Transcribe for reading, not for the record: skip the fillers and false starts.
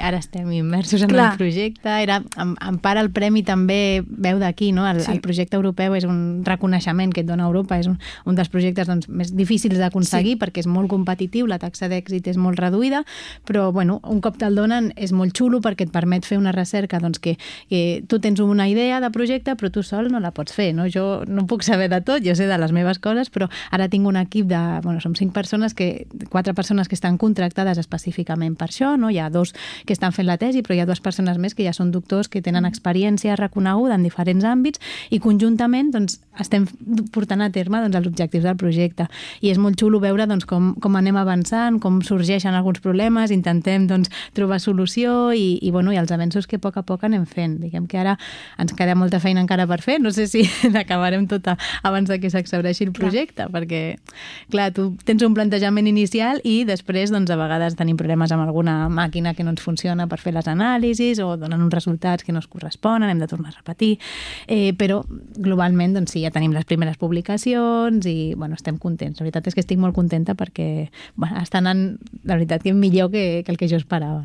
Ara estem immersos en el projecte. En part el premi també veu d'aquí, no? El projecte europeu és un reconeixement que et dona Europa, és un dels projectes més difícils d'aconseguir perquè és molt competitiu, la taxa d'èxit és molt reduïda, però un cop te'l donen és molt xulo perquè et permet fer una recerca que tu tens una idea de projecte però tu sol no la pots fer, no? Jo no puc saber de tot, jo sé de les meves coses, però ara tinc un equip som 4 persones que estan contractades específicament per això, no? Hi ha 2 que estan fent la tesi, però hi ha 2 persones més que ja són doctors que tenen experiència reconeguda en diferents àmbits i conjuntament estem portant a terme els objectius del projecte. I és molt xulo veure com anem avançant, com sorgeixen alguns problemes, intentem trobar solució i els avenços que a poc anem fent. Diguem que ara ens queda molta feina encara per fer, no sé si l'acabarem tota abans que s'exhaureixi el projecte, perquè, clar, tu tens un plantejament inicial i després, a vegades tenim problemes amb alguna màquina que no ens funciona per fer les anàlisis o donen uns resultats que no es corresponen, hem de tornar a repetir, però globalment sí, ja tenim les primeres publicacions i estem contents. La veritat és que estic molt contenta perquè està anant, la veritat, que millor que el que jo esperava.